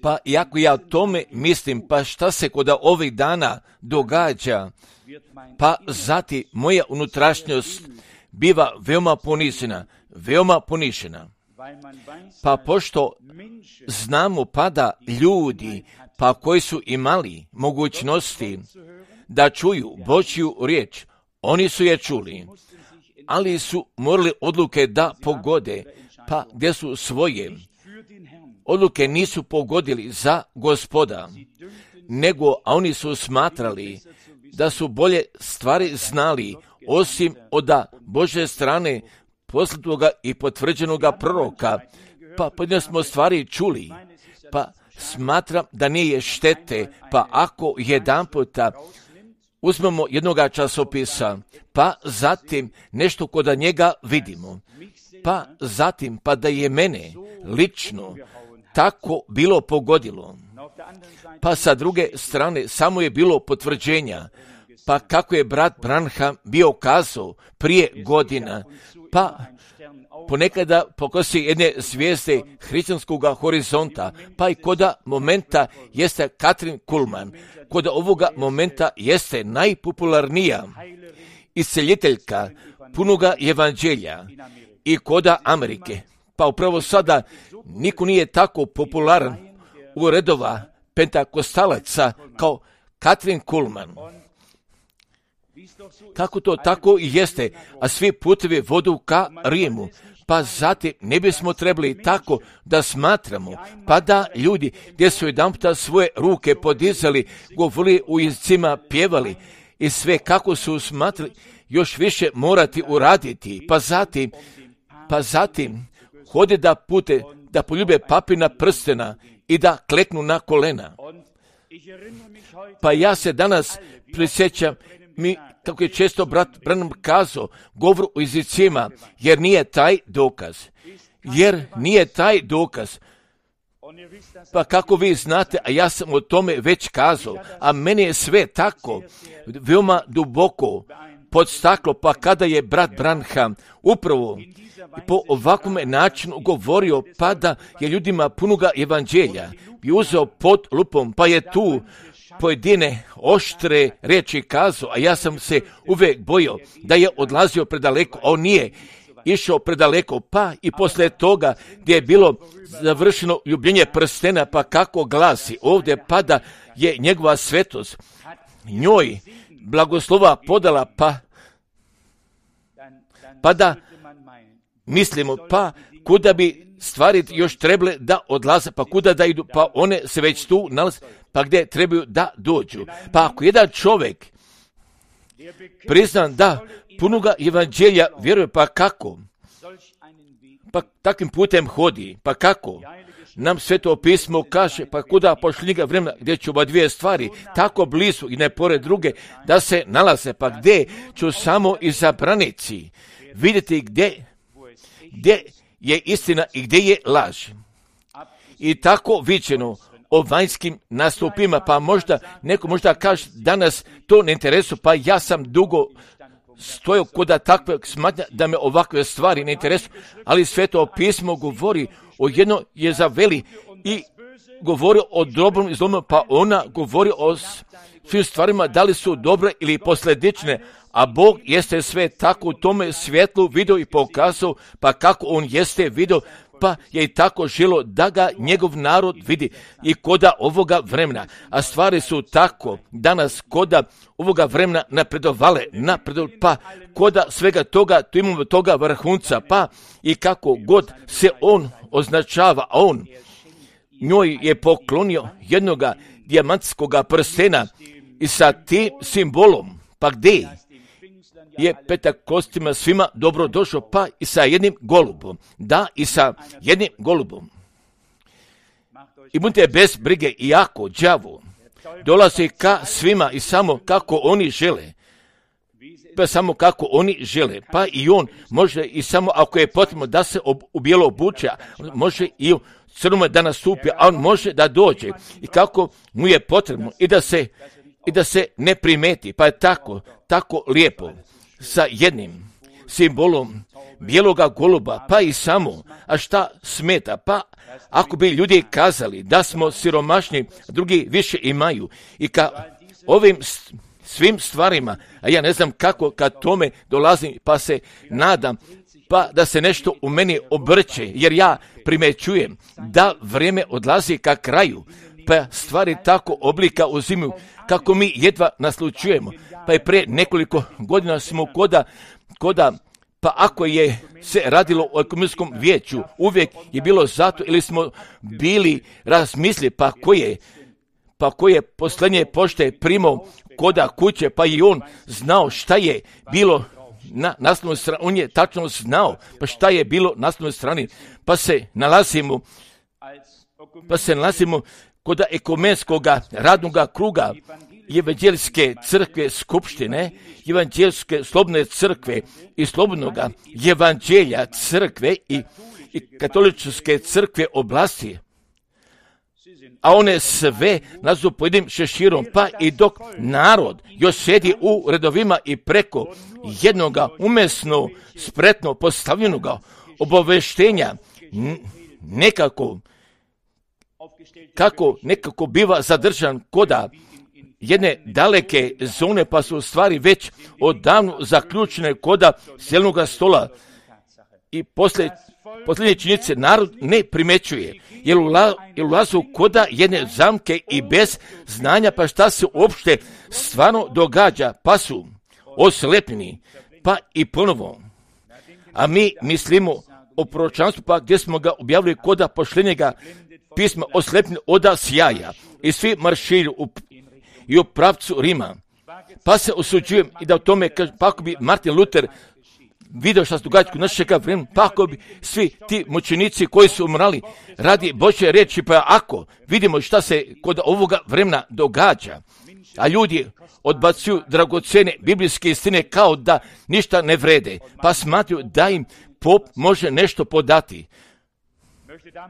Pa iako ja o tome mislim, pa šta se kod ovih dana događa, pa zatim moja unutrašnjost biva veoma ponišena. Pa pošto znamo pa da ljudi, pa koji su imali mogućnosti da čuju Božju riječ, oni su je čuli, ali su morali odluke da pogode, pa gdje su svoje odluke nisu pogodili za Gospoda, nego a oni su smatrali da su bolje stvari znali, osim od Božje strane poslatoga i potvrđenoga proroka. Pa pojedine smo stvari čuli, pa smatram da nije štete, pa ako jedan puta uzmemo jednoga časopisa, pa zatim nešto kod njega vidimo, pa zatim pa da je mene lično tako bilo pogodilo, pa sa druge strane samo je bilo potvrđenja, pa kako je brat Branham bio kazao prije godina, pa ponekada pokosi jedne zvijezde hrišćanskog horizonta, pa i koda momenta jeste Katrin Kuhlman, koda ovoga momenta jeste najpopularnija isceljiteljka punoga evanđelja i koda Amerike. Pa upravo sada niko nije tako popularan u redova pentakostalaca kao Katrin Kuhlman. Kako to tako i jeste, a svi putevi vodu ka Rimu, pa zatim ne bismo trebali tako da smatramo, pa da ljudi gdje su jedanputa svoje ruke podizali, govorili u jezicima, pjevali i sve kako su smatrali još više morati uraditi, pa zatim hode da poljube papina prstena i da kleknu na kolena. Pa ja se danas prisjećam kako je često brat Branham kazao, govor o jezicima, jer nije taj dokaz. Pa kako vi znate, a ja sam o tome već kazao, a meni je sve tako veoma duboko pod staklo, pa kada je brat Branham upravo po ovakvom načinu govorio, pa da je ljudima punoga evanđelja i uzeo pod lupom, pa je tu pojedine oštre riječi kazao, a ja sam se uvijek bojao da je odlazio predaleko, a on nije išao predaleko, pa i poslije toga gdje je bilo završeno ljubljenje prstena, pa kako glasi ovdje, pa da je njegova svetost njoj blagoslova podala, pa da mislimo, pa kuda bi stvari još trebale da odlaze, pa kuda da idu, pa one se već tu nalaze, pa gdje trebaju da dođu. Pa ako jedan čovjek priznan da punoga evanđelja vjeruje, pa kako? Pa takvim putem hodi, pa kako? Nam Sveto pismo kaže, pa kuda pošli ga vremena gdje će ova dvije stvari tako blizu i ne pored druge da se nalaze, pa gdje ću samo izabranici vidjeti gdje je istina i gdje je laž. I tako viđeno o vanjskim nastupima, pa neko možda kaže danas to ne interesuje, pa ja sam dugo stojao kod takvog smatnja da me ovakve stvari ne interesuju, ali Sveto pismo govori o jedno Jezaveli i govori o dobrom i zlom, pa ona govori o svim stvarima da li su dobre ili posljedične, a Bog jeste sve tako u tome svjetlu vidio i pokazao, pa kako on jeste vidio, pa je i tako želo da ga njegov narod vidi i koda ovoga vremena. A stvari su tako danas koda ovoga vremena napredovale, pa koda svega toga, tu imamo toga vrhunca, pa i kako god se on označava, a on njoj je poklonio jednoga dijamantskoga prstena i sa tim simbolom, pa gdje je Pentakostima svima dobro došao, pa i sa jednim golubom. Da, i sa jednim golubom. I budite bez brige, iako đavo dolazi ka svima i samo kako oni žele. Pa samo kako oni žele. Pa i on može i samo ako je potrebno da se u bijelo obuče, može i u crnome da nastupi, a on može da dođe i kako mu je potrebno i da se ne primeti. Pa je tako lijepo. Sa jednim simbolom bijeloga goluba, pa i samo, a šta smeta, pa ako bi ljudi kazali da smo siromašni, drugi više imaju i ka ovim svim stvarima, a ja ne znam kako kad tome dolazim, pa se nadam, pa da se nešto u meni obrće, jer ja primećujem da vrijeme odlazi ka kraju, pa stvari tako oblika uzimaju kako mi jedva naslučujemo. Pa je pre nekoliko godina smo koda pa ako je se radilo o ekumenskom vijeću, uvijek je bilo zato ili smo bili razmisli pa ko je posljednje pošte primao koda kuće, pa i on znao šta je bilo na naslovnoj strani, on je tačno znao pa šta je bilo na naslovnoj strani, pa se nalazimo kod ekumenskog radnog kruga evanđelske crkve skupštine, evanđelske slobodne crkve i slobodnog evanđelja crkve i katoličke crkve oblasti, a one sve nazu pojedinim šeširom, pa i dok narod još sjedi u redovima i preko jednoga umesno spretno postavljenoga obaveštenja nekako biva zadržan koda jedne daleke zone, pa su stvari već odavno zaključene koda sjelnoga stola i posljednje činjenice narod ne primećuje, jer ulazu koda jedne zamke i bez znanja pa šta se uopšte stvarno događa, pa su oslepljeni, pa i ponovo. A mi mislimo o proročanstvu, pa gdje smo ga objavili koda pošljenjega pisma oslepljeni oda sjaja i svi marširju i u pravcu Rima. Pa se osuđujem i da o tome kažem, pa ako bi Martin Luther vidio šta se događa kod našega vremena, pa ako bi svi ti mučenici koji su umrali radi Božje riječi, pa ako vidimo šta se kod ovoga vremena događa, a ljudi odbacuju dragocjene biblijske istine kao da ništa ne vrede, pa smatruju da im pop može nešto podati.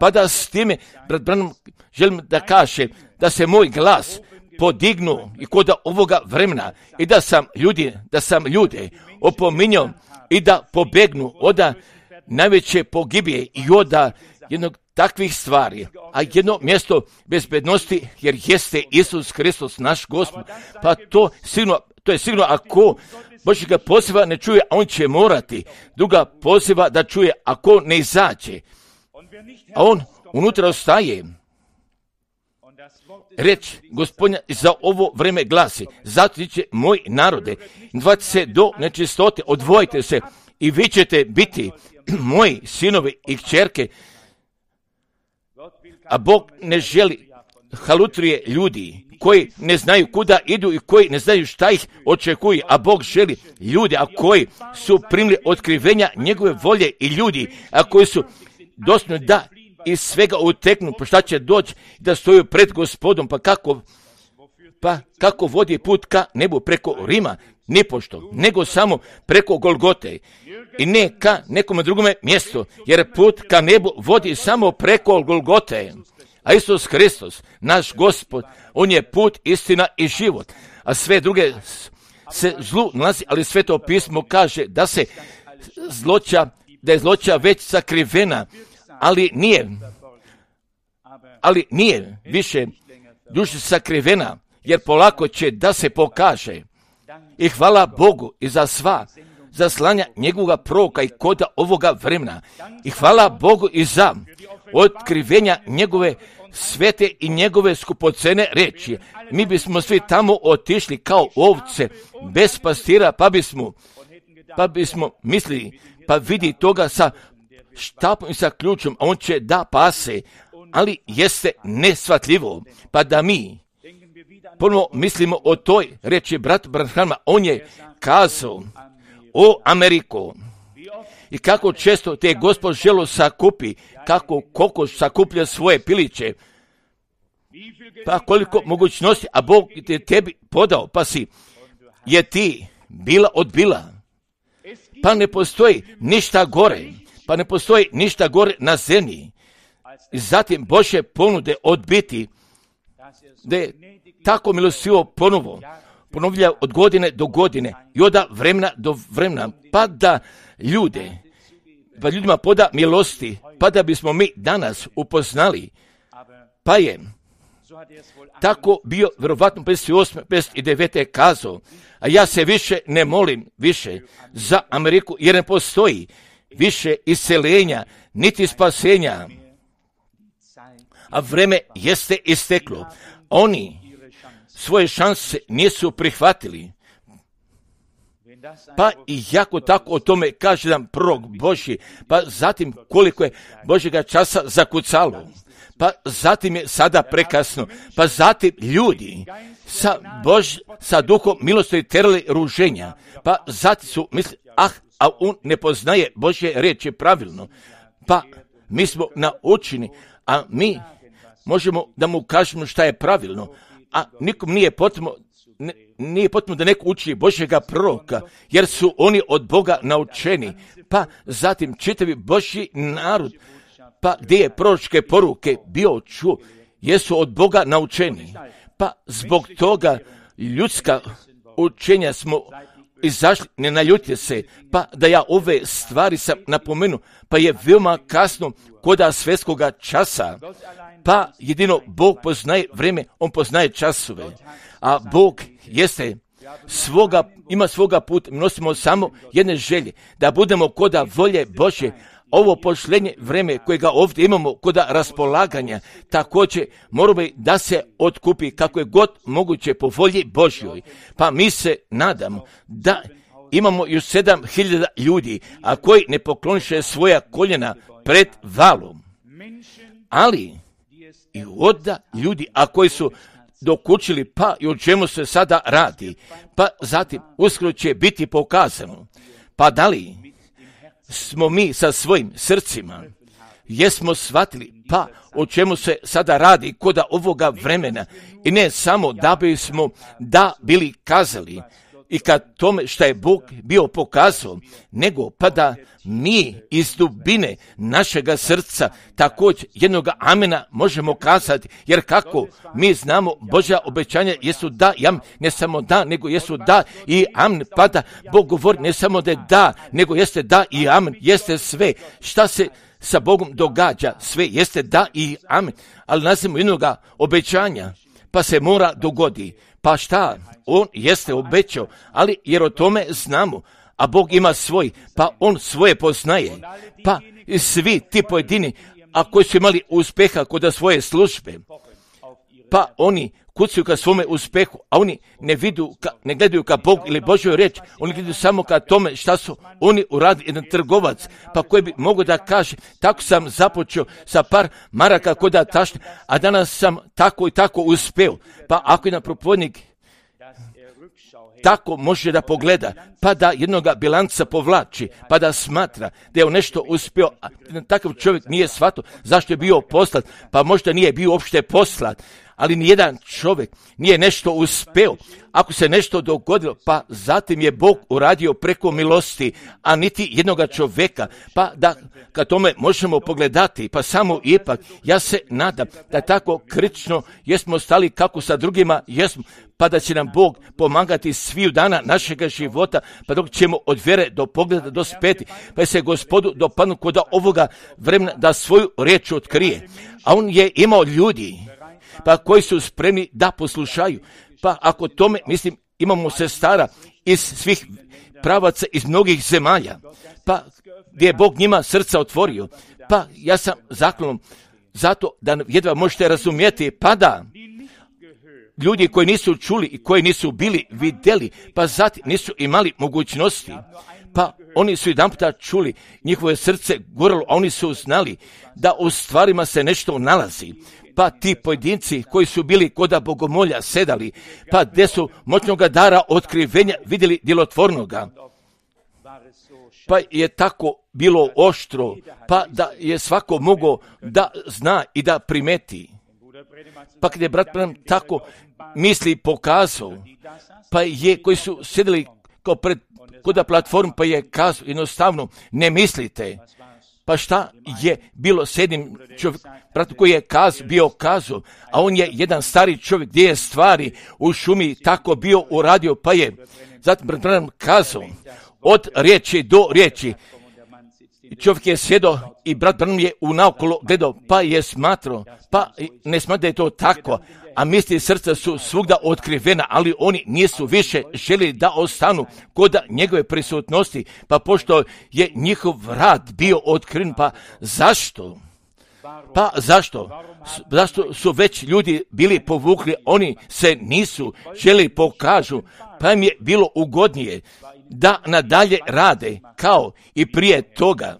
Pa da s time, brat Branham, želim da kažem da se moj glas podignu i kod ovoga vremena i da sam ljude opominjao i da pobegnu od najveće pogibije i od jednog takvih stvari, a jedno mjesto bezbednosti jer jeste Isus Hristos naš Gospod, pa to je sigurno ako Božjega poziva ne čuje, a on će morati druga poziva da čuje ako ne izađe, a on unutra ostaje. Reč Gospodnja za ovo vreme glasi, zato će moj narode, dvajte se do nečistote, odvojite se i vi ćete biti moji sinovi i kćerke, a Bog ne želi halutrije ljudi koji ne znaju kuda idu i koji ne znaju šta ih očekuje, a Bog želi ljudi, a koji su primili otkrivenja njegove volje i ljudi, a koji su dostojni da iz svega uteknu, pa šta će doći da stoju pred Gospodom, pa kako vodi put ka nebu preko Rima, nipošto, nego samo preko Golgote i ne ka nekome drugome mjestu, jer put ka nebu vodi samo preko Golgote, a Isus Hristos, naš Gospod, on je put, istina i život, a sve druge se zlu nalazi, ali Sveto pismo kaže da je zloća već sakrivena, ali nije više duše sakrivena, jer polako će da se pokaže. I hvala Bogu i za sva zaslanja njegovoga proroka i koda ovoga vremena. I hvala Bogu i za otkrivenja njegove svete i njegove skupocene reči. Mi bismo svi tamo otišli kao ovce, bez pastira, pa bismo mislili, pa vidi toga sa štapom i sa ključom, a on će da pase, ali jeste nesvatljivo, pa da mi ponovno mislimo o toj reči brat Branhama, on je kazao o Ameriku i kako često te Gospod želo sakupi, kako kokoš sakuplja svoje piliće, pa koliko mogućnosti, a Bog te tebi podao, pa je ti bila odbila, pa ne postoji ništa gore na zemlji. I zatim Božje ponude odbiti, da je tako milostivo ponovlja od godine do godine i od vremena do vremena, pa da ljude pa ljudima poda milosti, pa da bismo mi danas upoznali, pa je tako bio vjerovatno 58. 59. kazao, a ja se više ne molim više za Ameriku, jer ne postoji više isceljenja, niti spasenja, a vreme jeste isteklo. Oni svoje šanse nisu prihvatili. Pa i jako tako o tome kaže nam prorok Božji, pa zatim koliko je Božjega časa zakucalo, pa zatim je sada prekasno, pa zatim ljudi sa duhom milosti terali ruženja, pa zatim su mislili, a on ne poznaje Božje riječi pravilno, pa mi smo naučeni, a mi možemo da mu kažemo šta je pravilno, a nikom nije potrebno da neko uči Božjega proroka, jer su oni od Boga naučeni, pa zatim čitavi Božji narod, pa gdje je proročke poruke bio čuo, jesu od Boga naučeni, pa zbog toga ljudska učenja smo izašli, ne naljutite se, pa da ja ove stvari sam napomenuo, pa je veoma kasno koda svjetskoga časa, pa jedino Bog poznaje vrijeme, on poznaje časove, a Bog ima svoga puta, mi nosimo samo jedne želje, da budemo koda volje Božje. Ovo pošlenje vrijeme kojega ovdje imamo koda raspolaganja, također moramo da se otkupi kako je god moguće po volji Božjoj. Pa mi se nadamo da imamo još 7.000 ljudi, a koji ne pokloniše svoja koljena pred valom. Ali i onda ljudi, a koji su dokučili, pa i o čemu se sada radi, pa zatim uskoro će biti pokazano. Pa da li smo mi sa svojim srcima, jesmo shvatili, pa o čemu se sada radi koda ovoga vremena, i ne samo da bismo bili kazali i kad tome što je Bog bio pokazao, nego pa da mi iz dubine našega srca također jednoga amena možemo kazati, jer kako mi znamo Božja obećanja jesu da i amen, ne samo da, nego jesu da i amen, pa da Bog govori ne samo da je da, nego jeste da i amen, jeste sve. Šta se sa Bogom događa? Sve jeste da i amen, ali nazivamo jednoga obećanja, pa se mora dogodi. Pa šta? On jeste obećao, ali jer o tome znamo, a Bog ima svoj, pa on svoje poznaje. Pa svi ti pojedini, a koji su imali uspjeha kod svoje službe, pa oni kucaju ka svome uspjehu, a oni ne gledaju ka Bog ili Božjoj riječ, oni gledaju samo ka tome šta su oni uradili, jedan trgovac, pa koji bi mogo da kaže, tako sam započeo sa par maraka kod tašne, a danas sam tako i tako uspeo. Pa ako jedan propovjednik tako može da pogleda, pa da jednoga bilanca povlači, pa da smatra da je on nešto uspio, a takav čovjek nije shvatio zašto je bio poslat, pa možda nije bio uopšte poslat, ali nijedan čovjek nije nešto uspeo. Ako se nešto dogodilo, pa zatim je Bog uradio preko milosti, a niti jednoga čovjeka, pa da kad tome možemo pogledati, pa samo ipak, ja se nadam da tako kritično jesmo stali kako sa drugima jesmo, pa da će nam Bog pomagati sviju dana našega života, pa dok ćemo od vjere do pogleda dospeti, pa se Gospodu dopadnu kod ovoga vremena da svoju riječ otkrije. A on je imao ljudi, pa koji su spremni da poslušaju. Pa ako tome, mislim, imamo sestara iz svih pravaca, iz mnogih zemalja, pa gdje je Bog njima srca otvorio, pa ja sam zaklonom zato da jedva možete razumjeti, pa da ljudi koji nisu čuli i koji nisu bili vidjeli, pa zatim nisu imali mogućnosti, pa oni su jedan puta čuli, njihove srce goralo, a oni su znali da u stvarima se nešto nalazi. Pa ti pojedinci koji su bili koda bogomolja sedali, pa gdje su moćnoga dara otkrivenja vidjeli djelotvornoga, pa je tako bilo oštro, pa da je svako mogao da zna i da primeti. Pa kad je brat Branham tako misli pokazao, pa je koji su sjedili kao pred koda platform, pa je kazao jednostavno ne mislite. Pa šta je bilo s jednim čovjekom, bratu koji je bio kazao, a on je jedan stari čovjek gdje je stvari u šumi tako bio uradio, pa je zatim Branham kazao od riječi do riječi, čovjek je sjedo i brat Branham je unaokolo gledao, pa je smatrao, pa ne smatra da je to tako, a misli srca su svugda otkrivena, ali oni nisu više želi da ostanu kod njegove prisutnosti, pa pošto je njihov rad bio otkriven, pa zašto? Pa zašto? Zašto su već ljudi bili povukli, oni se nisu želi pokažu, pa im je bilo ugodnije da nadalje rade kao i prije toga.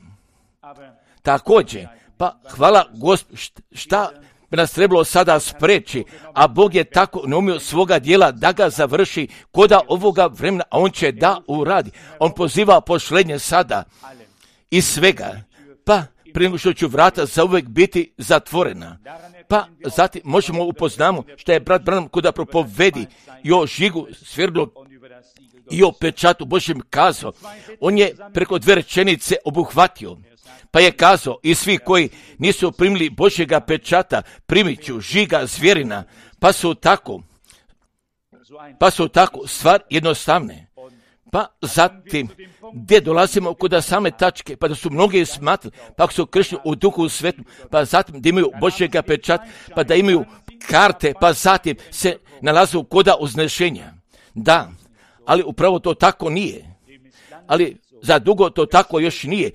Također, pa hvala Gospod, šta bi nas trebalo sada spreči, a Bog je tako naumio svoga dijela da ga završi koda ovoga vremena, a on će da uradi. On poziva pošlenje sada i svega, pa prije nego što ću vrata zauvijek biti zatvorena. Pa zatim možemo upoznamo što je brat Branham kuda propovedi i o žigu svrdlu i o pečatu Božjem kazao. On je preko 2 rečenice obuhvatio. Pa je kazao, i svi koji nisu primili Božjega pečata, primit ću žiga zvjerina, pa su tako stvar jednostavne. Pa zatim, gdje dolazimo kod same tačke, pa da su mnogi smatrali, pa ako su kršteni u duhu svetu, pa zatim da imaju Božjega pečata, pa da imaju karte, pa zatim se nalaze koda uznešenja. Da, ali upravo to tako nije. Ali za dugo to tako još nije.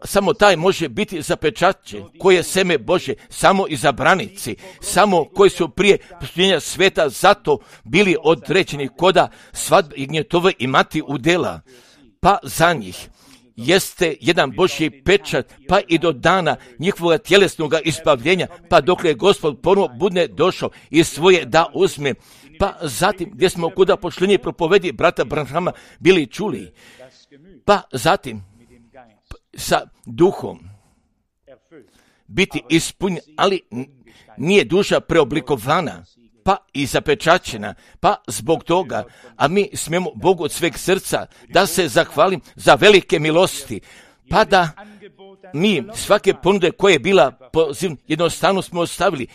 Samo taj može biti zapečaćen, koje je seme Bože, samo izabranici, samo koji su prije posljednja sveta zato bili određeni koda svadbe i gnjetove imati udjela. Pa za njih jeste jedan Božji pečat, pa i do dana njihovog tjelesnog ispavljenja, pa dok je Gospod ponovo bude došao i svoje da uzme. Pa zatim gdje smo kuda pošlenje propovedi brata Branhama bili čuli, pa zatim sa duhom biti ispunjen, ali nije duša preoblikovana, pa i zapečaćena, pa zbog toga, a mi smijemo Bogu od sveg srca da se zahvalim za velike milosti, pa da mi svake ponude koje je bila pozivna, jednostavno smo ostavili,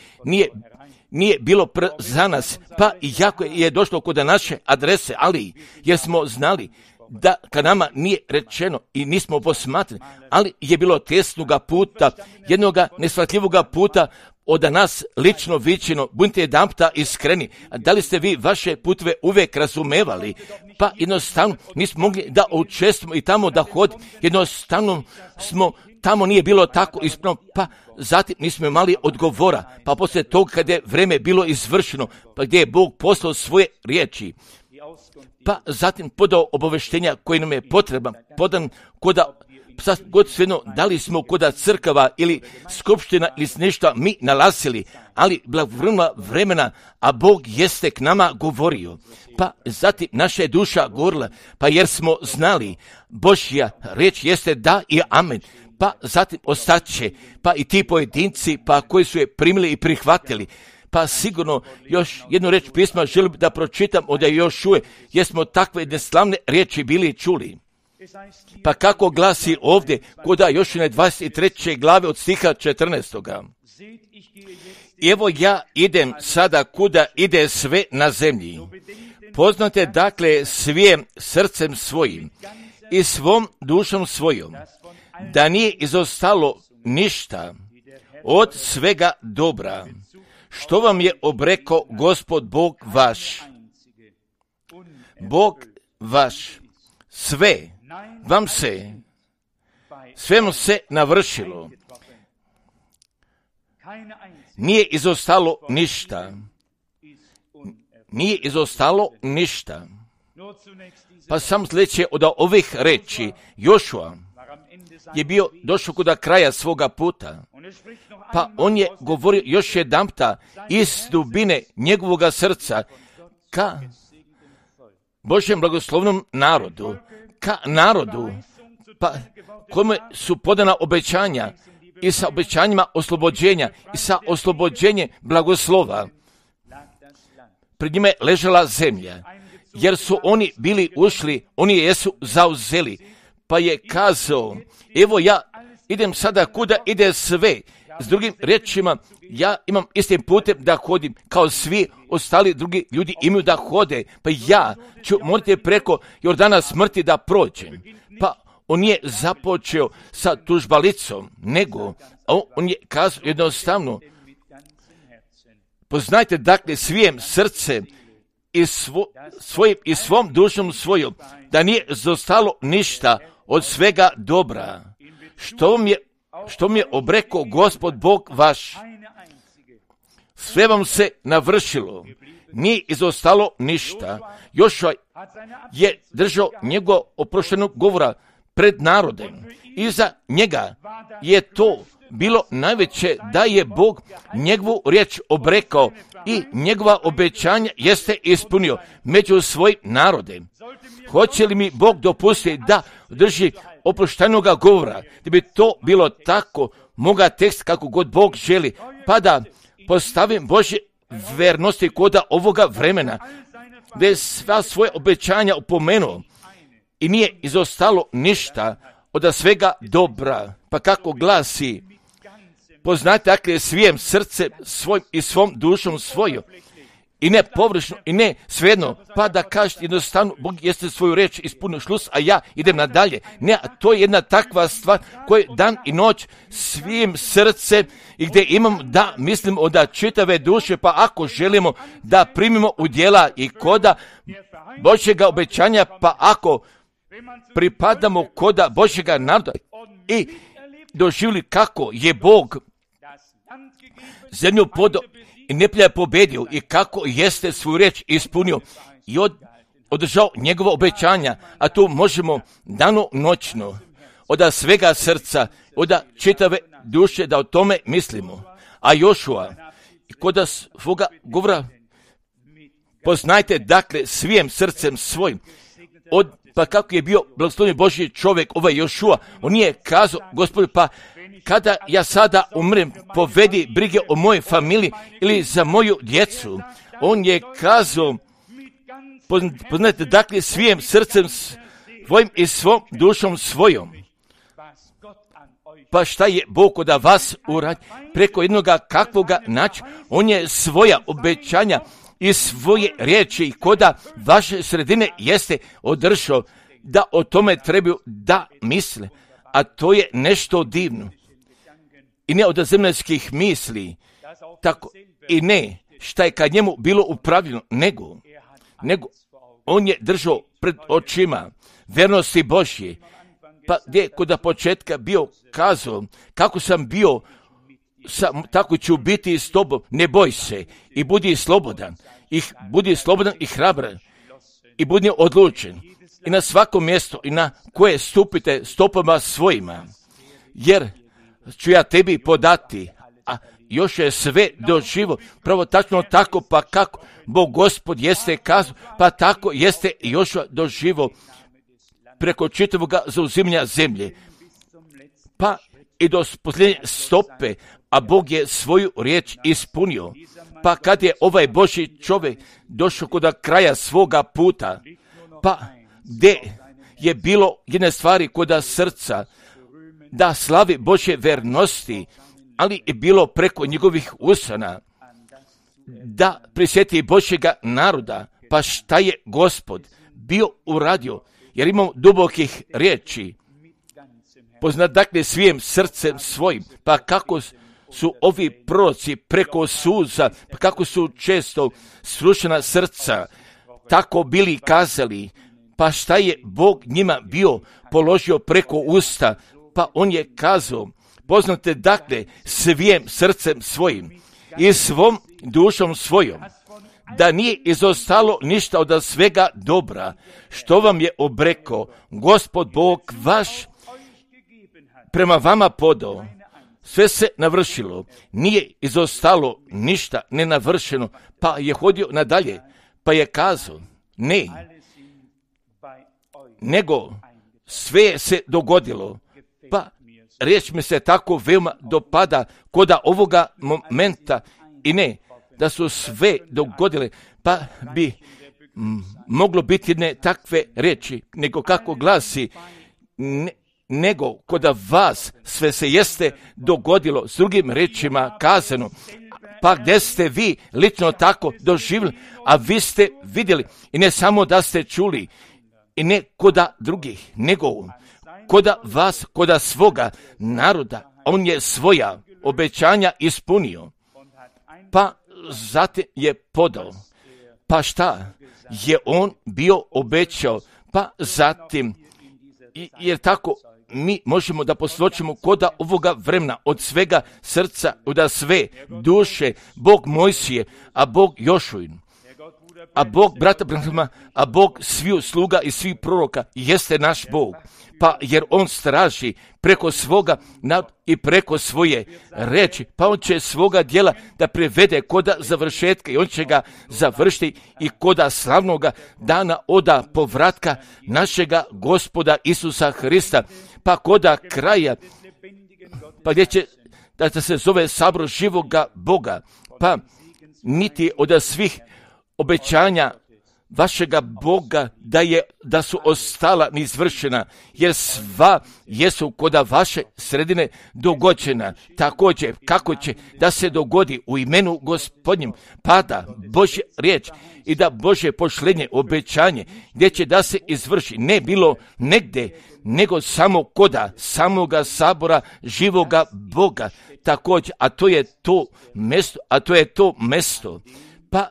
nije bilo za nas, pa i jako je došlo kod naše adrese, ali jer smo znali da kad nama nije rečeno i nismo posmatrali, ali je bilo tesnoga puta, jednoga neshvatljivoga puta od nas lično vičeno, budite jedanputa iskreni, a da li ste vi vaše putve uvijek razumevali, pa jednostavno nismo mogli da učestvujemo i tamo da hodimo, jednostavno smo tamo nije bilo tako ispravno, pa zatim nismo imali odgovora, pa poslije toga kad je vreme bilo izvršeno, pa gdje je Bog poslao svoje riječi, pa zatim podao obaveštenja koji nam je potreban, podan koda god svejedno, da li smo koda crkava ili skupština ili nešto mi nalazili, ali blagovremena vremena, a Bog jeste k nama govorio. Pa zatim naša je duša govorila, pa jer smo znali, Božja riječ jeste da i amen. Pa zatim ostaće, pa i ti pojedinci, pa koji su je primili i prihvatili. Pa sigurno još jednu reč pisma želim da pročitam od Jošue, jer smo takve neslavne riječi bili čuli. Pa kako glasi ovdje kod Jošine 23. glave od stiha 14. Evo ja idem sada kuda ide sve na zemlji. Poznate dakle svijem srcem svojim i svom dušom svojom, da nije izostalo ništa od svega dobra, što vam je obreko Gospod Bog vaš. Bog vaš, sve vam se navršilo. Nije izostalo ništa. Nije izostalo ništa. Pa sam sljedeće od ovih reči, Jošua je bio došao kod kraja svoga puta, pa on je govorio još jedanputa iz dubine njegovoga srca ka Božjem blagoslovnom narodu, ka narodu, pa kome su podana obećanja i sa obećanjima oslobođenja i sa oslobođenjem blagoslova. Pred njima je ležala zemlja, jer su oni bili ušli, oni jesu zauzeli, pa je kazao, evo ja idem sada kuda ide sve. S drugim riječima, ja imam istim putem da hodim, kao svi ostali drugi ljudi imaju da hode, pa ja ću morati preko Jordana smrti da prođem. Pa on nije započeo sa tužbalicom, nego on je kazao jednostavno, poznajte dakle svim srcem i svom dušom svojom, da nije zostalo ništa od svega dobra, što mi je obrekao Gospod Bog vaš. Sve vam se navršilo, nije izostalo ništa. Jošua je držao njegov oproštenog govora pred narodem. Iza njega je to bilo najveće, da je Bog njegovu riječ obrekao i njegova obećanja jeste ispunio među svojim narodem. Hoće li mi Bog dopustiti da drži oproštenoga govora, da bi to bilo tako, moga tekst kako god Bog želi, pa da postavim Božje vernosti koda ovoga vremena, gdje je sva svoje obećanja upomenuo i nije izostalo ništa od svega dobra. Pa kako glasi, poznajte dakle svim srcem svojim i svom dušom svojom, i ne površno, i ne svejedno, pa da kažete jednostavno, Bog jeste svoju reč ispunio šlus, a ja idem nadalje. Ne, to je jedna takva stvar koju dan i noć svim srcem i gdje imam da mislimo od čitave duše, pa ako želimo da primimo u djela i koda Božjega obećanja, pa ako pripadamo koda Božjega naroda i doživjeli kako je Bog zemlju podao i neprijatelja pobedio i kako jeste svoju riječ ispunio i održao njegova obećanja, a tu možemo danonoćno od svega srca, od čitave duše da o tome mislimo. A Jošua, kod svoga govora, poznajte dakle svim srcem svojim, pa kako je bio blagoslovljen Božji čovjek, ovaj Jošua, on nije kazao, Gospode, pa kada ja sada umrem, povedi brige o mojoj familiji ili za moju djecu. On je kazao, poznajte dakle svim srcem svojim i svom dušom svojom. Pa šta je Bog od vas uradi preko jednoga kakvoga načina? On je svoja obećanja i svoje riječi koda vaše sredine jeste održao, da o tome trebaju da misle. A to je nešto divno. I ne od zemaljskih misli, tako i ne šta je kad njemu bilo upravljeno, nego on je držao pred očima vernosti Božje. Pa gdje kod početka bio kazao, kako sam bio, tako ću biti s tobom, ne boj se i budi slobodan i hrabran i budi odlučen i na svako mjesto i na koje stupite stopama svojima, jer ću ja tebi podati, a još je sve doživo, pravo tačno tako, pa kako Bog Gospod jeste kazao, pa tako jeste još doživo preko čitavoga zauzimanja zemlje, pa i do posljednje stope, a Bog je svoju riječ ispunio. Pa kad je ovaj Božji čovjek došao kod kraja svoga puta, pa gdje je bilo jedne stvari kod srca, da slavi Božje vernosti, ali je bilo preko njegovih usana, da prisjeti Božjega naroda, pa šta je Gospod bio uradio, jer imamo dubokih riječi, poznat dakle svim srcem svojim, pa kako su ovi proroci preko suza, pa kako su često srušena srca, tako bili kazali, pa šta je Bog njima bio položio preko usta, pa on je kazao, poznate dakle svim srcem svojim i svom dušom svojom, da nije izostalo ništa od svega dobra, što vam je obrekao Gospod Bog vaš prema vama podao. Sve se navršilo, nije izostalo ništa nenavršeno, pa je hodio nadalje, pa je kazao, ne, nego sve se dogodilo, pa riječ mi se tako veoma dopada koda ovoga momenta i ne, da su sve dogodile, pa bi moglo biti jedne takve riječi, nego kako glasi, nego kod vas sve se jeste dogodilo, s drugim riječima kazano, pa gdje ste vi lično tako doživjeli, a vi ste vidjeli i ne samo da ste čuli i ne kod drugih, nego koda vas, koda svoga naroda, on je svoja obećanja ispunio, pa zatim je podao. Pa šta je on bio obećao, pa zatim, jer tako mi možemo da posvjedočimo koda ovoga vremena od svega srca, od sve duše, Bog Mojsije, a Bog Jošuin, a Bog brata Branhama, a Bog sviju sluga i svih proroka jeste naš Bog. Pa jer on straži preko svoga i preko svoje reči, pa on će svoga djela da privede koda završetka i on će ga završiti i koda slavnoga dana oda povratka našega Gospoda Isusa Hrista, pa koda kraja, pa gdje će da se zove sabor živoga Boga, pa niti od svih obećanja vašega Boga da su ostala neizvršena, jer sva jesu koda vaše sredine dogođena. Također, kako će da se dogodi u imenu Gospodnjem, pada Božja riječ i da Božje pošlenje, obećanje, gdje će da se izvrši, ne bilo negdje, nego samo koda samoga sabora živoga Boga. Također, a to je to mesto, pa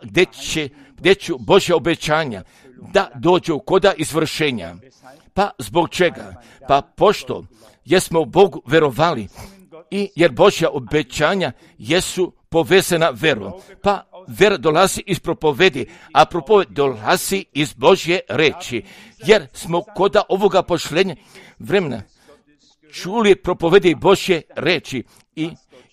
gdje ću Božja obećanja da dođu koda izvršenja. Pa zbog čega? Pa pošto jesmo Bogu verovali i jer Božja obećanja jesu povezana verom. Pa vera dolazi iz propovedi, a propoved dolazi iz Božje reči. Jer smo koda ovoga pošlenja vremena čuli propovedi Božje reči i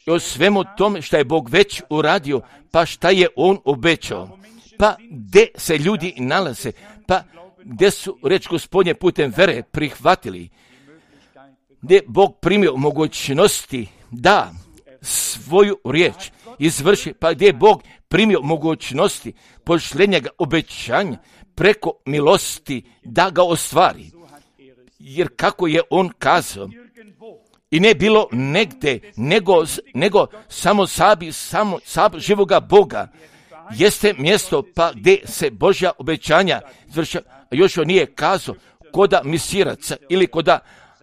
o svemu tome što je Bog već uradio, pa šta je on obećao. Pa gdje se ljudi nalaze, pa gdje su reč Gospodnje putem vere prihvatili, gdje Bog primio mogućnosti da svoju riječ izvrši, pa gdje je Bog primio mogućnosti pošlenja obećanja preko milosti da ga ostvari. Jer kako je on kazao, i ne bilo negdje, nego samo sab živoga Boga jeste mjesto pa gdje se Božja obećanja izvrša. Još on nije kazao koda misiraca ili koda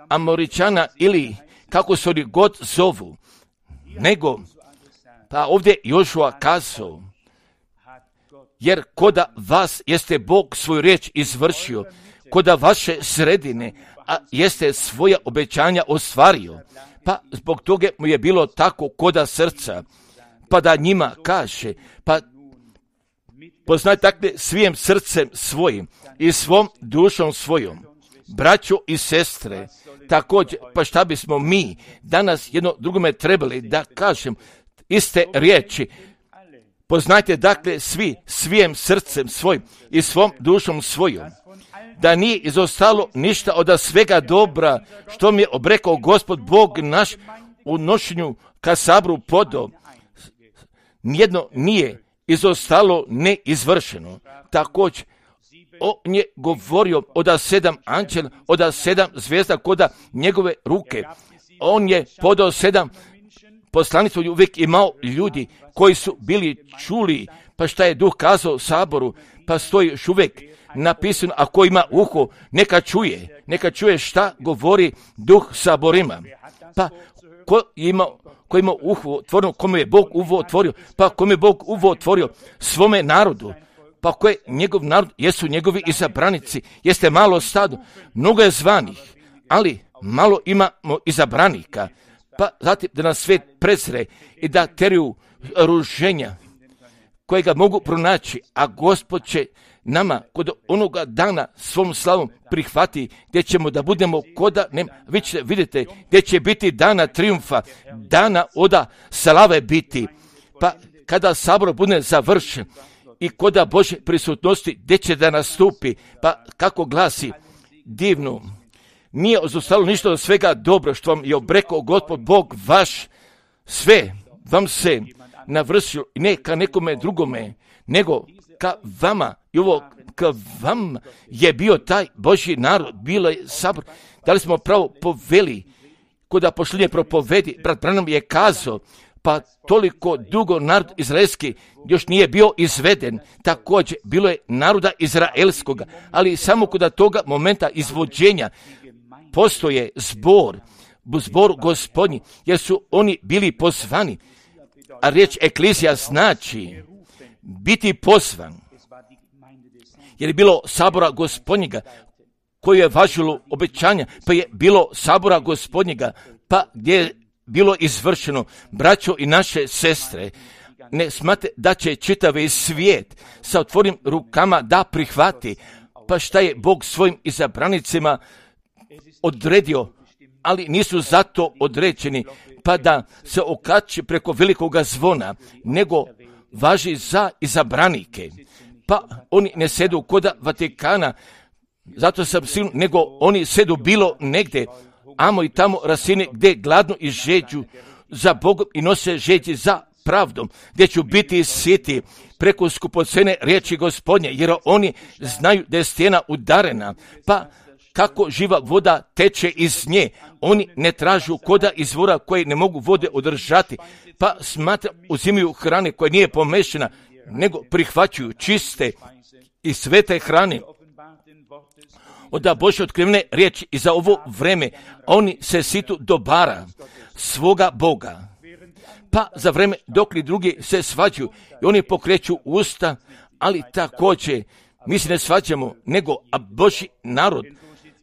Amoričana ili kako se oni god zovu, nego pa ovdje Jošua kazao, jer koda vas jeste Bog svoju riječ izvršio, koda vaše sredine a jeste svoja obećanja ostvario, pa zbog toga mu je bilo tako koda srca, pa da njima kaže, pa poznaj takve svijim srcem svojim i svom dušom svojom, braćo i sestre, također, pa šta bismo mi danas jedno drugome trebali da kažem iste riječi, poznajte dakle svi svijim srcem svojim i svom dušom svojom, da nije izostalo ništa od svega dobra što mi je obrekao Gospod Bog naš u nošenju ka sabru podo. Nijedno nije izostalo neizvršeno. Također, on je govorio od 7 anđela, od 7 zvijezda koda njegove ruke. On je podao 7 poslanicom, uvijek imao ljudi koji su bili čuli, pa šta je Duh kazao saboru, pa stoji još uvijek napisano, a ko ima uho, neka čuje šta govori Duh saborima. Pa ko ima uho otvoreno, kome je Bog uho otvorio, pa kome je Bog uho otvorio svome narodu, pa ko je njegov narod, jesu njegovi izabranici, jeste malo stado, mnogo je zvanih, ali malo imamo izabranika, pa zatim da nas svijet prezre i da teriju ruženja kojega mogu pronaći, a Gospod će nama kod onoga dana svom slavom prihvati, gdje ćemo da budemo koda, vi ćete vidjeti gdje će biti dana triumfa, dana oda slave biti, pa kada sabor bude završen i koda Božje prisutnosti gdje će da nastupi, pa kako glasi divno, nije ostalo ništa od svega dobro što vam je obrekao Gospod Bog vaš, sve vam se navršilo, ne ka nekome drugome, nego ka vama, i ovo ka vam je bio taj Božji narod, bilo je sabor, da li smo pravo poveli, koda pošlenje propovedi, brat Branham je kazao, pa toliko dugo narod izraelski još nije bio izveden, također bilo je naroda izraelskoga, ali samo kod toga momenta izvođenja postoje zbor Gospodnji, jer su oni bili pozvani. A riječ eklizija znači biti pozvan. Jer je bilo sabora Gospodnjega koje je važilo obećanja, pa je bilo sabora Gospodnjega, pa gdje je bilo izvršeno. Braćo i naše sestre, ne smate da će čitavi svijet sa otvorenim rukama da prihvati, pa šta je Bog svojim izabranicima odredio, ali nisu zato određeni, pa da se okači preko velikoga zvona, nego važi za izabranike. Pa oni ne sedu koda Vatikana, zato sam siguran, nego oni sedu bilo negdje, amo i tamo rasine gdje gladno i žeđu za Bogom i nose žeđi za pravdom, gdje ću biti siti preko skupocene riječi Gospodnje, jer oni znaju da je stijena udarena, pa kako živa voda teče iz nje, oni ne tražu koda izvora koje ne mogu vode održati, pa uzimaju hrane koja nije pomešana, nego prihvaćaju čiste i svete hrane od Božje otkrivene riječi i za ovo vreme oni se situ dobara svoga Boga. Pa za vreme dok li drugi se svađaju i oni pokreću usta, ali također mi se ne svađamo, nego a Božji narod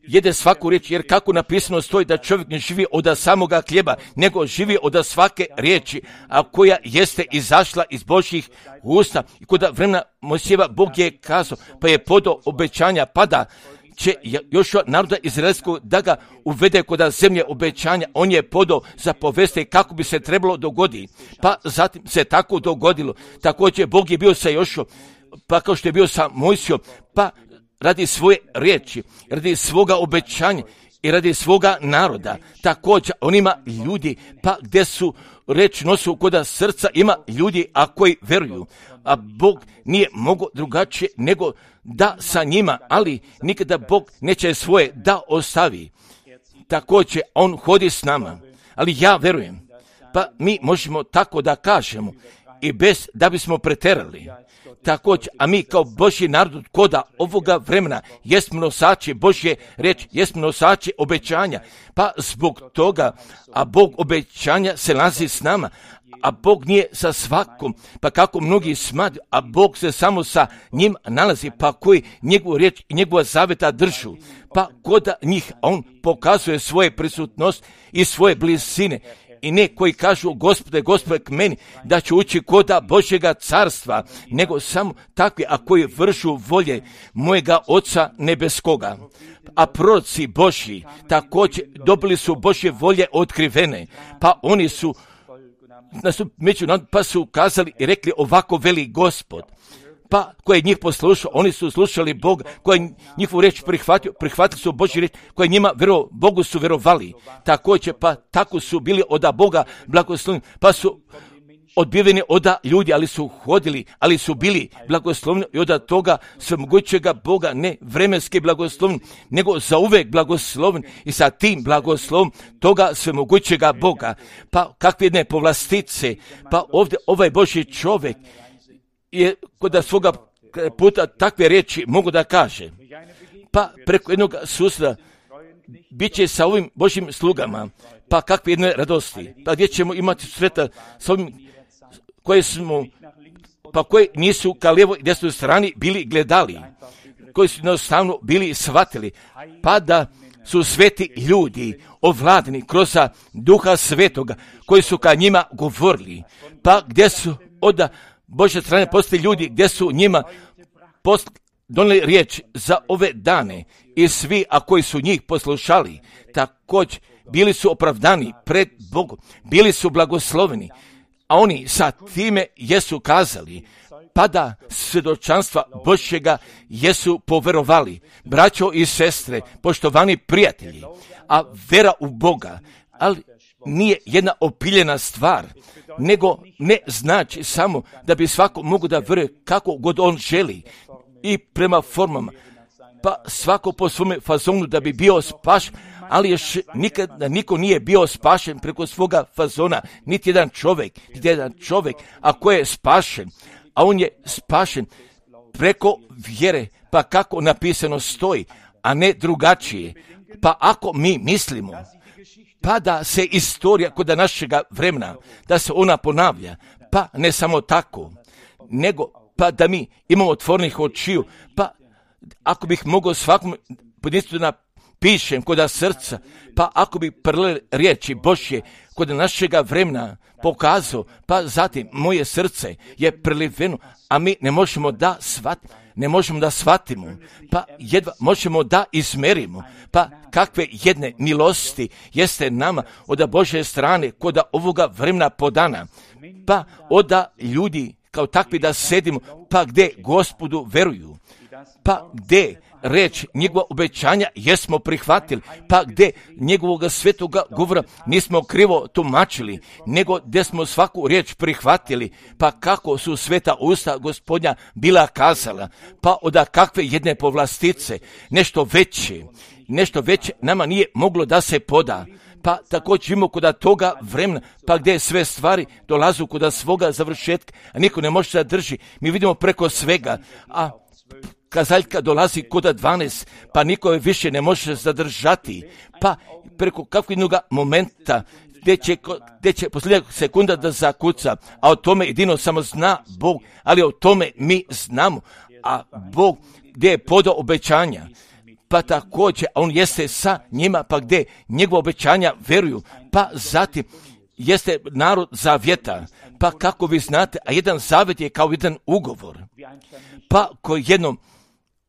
jede svaku riječ, jer kako napisano stoji da čovjek ne živi od samoga hljeba, nego živi od svake riječi, a koja jeste izašla iz Božjih usta. I kod vremena Mojsijeva Bog je kazao, pa je podao obećanja, pada će Jošua naroda izraelskog da ga uvede kod zemlje obećanja. On je podao za poveste kako bi se trebalo dogoditi. Pa zatim se tako dogodilo. Također Bog je bio sa Jošuom, pa kao što je bio sa Mojsijom, pa radi svoje riječi, radi svoga obećanja i radi svoga naroda. Također on ima ljudi, pa gdje su reč nosu kod srca, ima ljudi a koji veruju. A Bog nije mogao drugačije nego da sa njima, ali nikada Bog neće svoje da ostavi. Također on hodi s nama, ali ja verujem, pa mi možemo tako da kažemo i bez da bismo preterali. Također, a mi kao Božji narod koda ovoga vremena jesmo nosači Božje reči, jesmo nosači obećanja, pa zbog toga, a Bog obećanja se nalazi s nama, a Bog nije sa svakom, pa kako mnogi smatraju, a Bog se samo sa njim nalazi, pa koji njegovu riječ i njegova zaveta držu, pa koda njih on pokazuje svoje prisutnost i svoje blizine. I ne koji kažu Gospode k meni da će ući koda Božjega carstva, nego samo takvi a koji vršu volje mojega Oca nebeskoga. A proroci Božji također dobili su Božje volje otkrivene, pa oni su među nama, pa su kazali i rekli ovako veli Gospod. Pa koje njih poslušao, oni su slušali Boga, koji njihovu riječ prihvatili su Božju riječ, koji njima Bogu su vjerovali. Također, pa tako su bili od Boga blagosloveni, pa su odbiveni od ljudi, ali su hodili, ali su bili blagosloveni i od toga svemogućega Boga, ne vremenski blagosloveni, nego zauvek blagosloveni i sa tim blagoslovom toga svemogućega Boga. Pa kakve jedne povlastice, pa ovdje ovaj Božji čovjek je kod svoga puta takve riječi mogu da kaže. Pa preko jednog susreta bit će sa ovim Božjim slugama, pa kakve jedne radosti, pa gdje ćemo imati susreta sa ovim koji nisu ka lijevo i desnoj strani bili gledali, koji su jednostavno bili shvatili, pa da su sveti ljudi ovladani kroz Duha Svetoga koji su ka njima govorili, pa gdje su od Božje strane postoji ljudi gdje su njima donijeli riječ za ove dane i svi, a koji su njih poslušali, također bili su opravdani pred Bogom, bili su blagosloveni, a oni sa time jesu kazali, pa da svjedočanstva Božjega jesu poverovali. Braćo i sestre, poštovani prijatelji, a vera u Boga, ali nije jedna opiljena stvar, nego ne znači samo da bi svako mogu da vjeruje kako god on želi i prema formama, pa svako po svome fazonu da bi bio spašen, ali još nikada niko nije bio spašen preko svoga fazona, niti jedan čovjek, a ko je spašen, a on je spašen preko vjere, pa kako napisano stoji, a ne drugačije. Pa ako mi mislimo, pa da se istorija kod našega vremena, da se ona ponavlja, pa ne samo tako, nego pa da mi imamo otvorenih očiju, pa ako bih mogao svakom pojedinstvu napišem kod srca, pa ako bi prle riječi Božje kod našega vremena pokazao, pa zatim moje srce je preliveno, a mi ne možemo da shvatimo, pa jedva možemo da izmerimo, pa kakve jedne milosti jeste nama od Božje strane kod ovoga vremena podana, pa od ljudi kao takvi da sedimo, pa gdje Gospodu veruju, pa gdje reč njegova obećanja jesmo prihvatili, pa gdje njegovog svetoga govora nismo krivo tumačili, nego gdje smo svaku riječ prihvatili, pa kako su sveta usta Gospodnja bila kazala, pa od kakve jedne povlastice, nešto veće nama nije moglo da se poda. Pa također imamo kod toga vremena, pa gdje sve stvari dolazu kod svoga završetka, a niko ne može da drži. Mi vidimo preko svega, a kazaljka dolazi kod 12, pa niko je više ne može zadržati, pa preko kakvog jednog momenta gdje će posljednjeg sekunda da zakuca, a o tome jedino samo zna Bog, ali o tome mi znamo, a Bog gdje je podao obećanja, pa također on jeste sa njima, pa gdje njegova obećanja veruju, pa zatim jeste narod zavjeta, pa kako vi znate, a jedan zavjet je kao jedan ugovor, pa koji jednom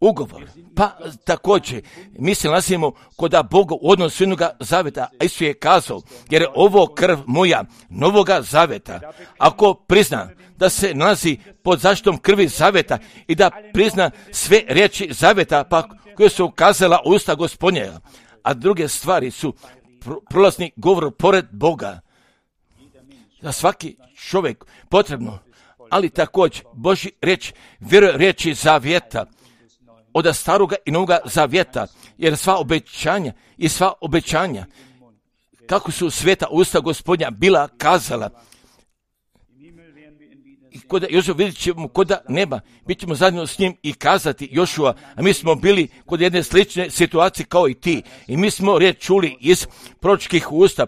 ugovor, pa također mi se nalazimo kod Boga u odnosu jednog zavjeta, a Isus je kazao, jer je ovo krv moja novoga zavjeta. Ako prizna da se nalazi pod zaštitom krvi zavjeta i da prizna sve riječi zavjeta, pa koje su ukazala usta Gospodnja, a druge stvari su prolazni govor pored Boga. Za svaki čovjek potrebno, ali također Božji riječ vjeruje riječi zavjeta, od staroga i novoga zavjeta, jer sva obećanja, kako su sveta usta Gospodnja bila kazala, i kod Jošua vidjet ćemo kod neba, bit ćemo zajedno s njim i kazati Jošua, a mi smo bili kod jedne slične situacije kao i ti, i mi smo riječ čuli iz proročkih usta,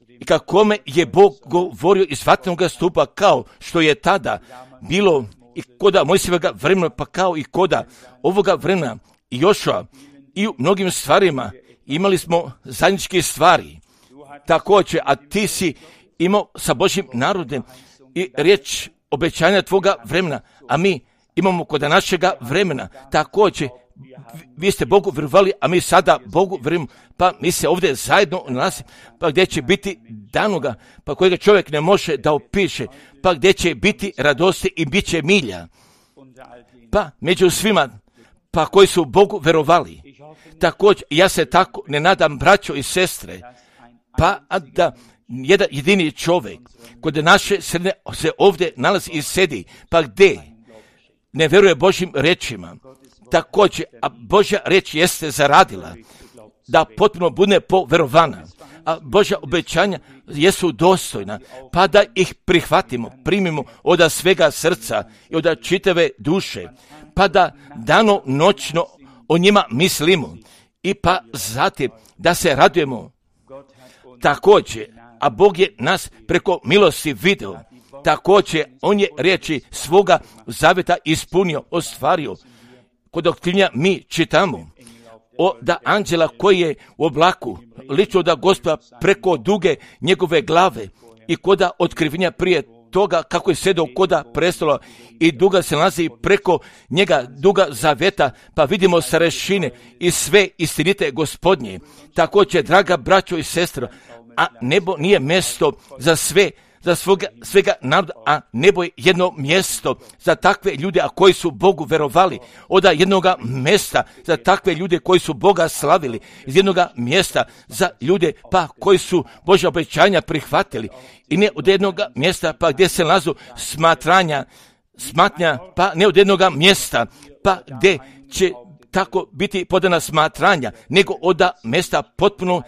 i kakome je Bog govorio iz vatrenog stupa, kao što je tada bilo i koda Mojsijevega vremena, pa kao i koda ovoga vremena i Jošua, i u mnogim stvarima imali smo zajedničke stvari. Također, a ti si imao sa Božjim narodem i riječ obećanja tvoga vremena, a mi imamo kod našega vremena. Također, vi ste Bogu vjerovali, a mi sada Bogu vjerujemo, pa mi se ovdje zajedno nalazimo, pa gdje će biti danoga, pa kojega čovjek ne može da opiše, pa gdje će biti radosti i bit će milja. Pa među svima, pa koji su Bogu vjerovali. Također, ja se tako ne nadam, braćo i sestre, pa da jedan jedini čovjek kod naše sredine se ovdje nalazi i sedi, pa gdje ne vjeruje Božjim rečima. Također, a Božja reč jeste zaradila da potpuno bude poverovana, a Božja obećanja jesu dostojna, pa da ih prihvatimo, primimo od svega srca i od čitave duše, pa da dano noćno o njima mislimo i pa zatim da se radujemo. Također, a Bog je nas preko milosti video, također on je riječi svoga zavjeta ispunio, ostvario. Kod otkrivenja mi čitamo da anđela koji je u oblaku ličio da Gospoda preko duge njegove glave, i koda otkrivenja prije toga kako je sedao koda prestola i duga se nalazi preko njega duga zavjeta, pa vidimo starešine i sve istinite Gospodnje. Također, draga braćo i sestra, a nebo nije mjesto za svega naroda, a nebo je jedno mjesto za takve ljude, a koji su Bogu verovali, od jednog mjesta za takve ljude koji su Boga slavili, iz jednog mjesta za ljude pa koji su Božja obećanja prihvatili, i ne od jednog mjesta pa gdje se nalazu smatnja, pa ne od jednog mjesta pa gdje će tako biti podana smatranja, nego od mjesta potpuno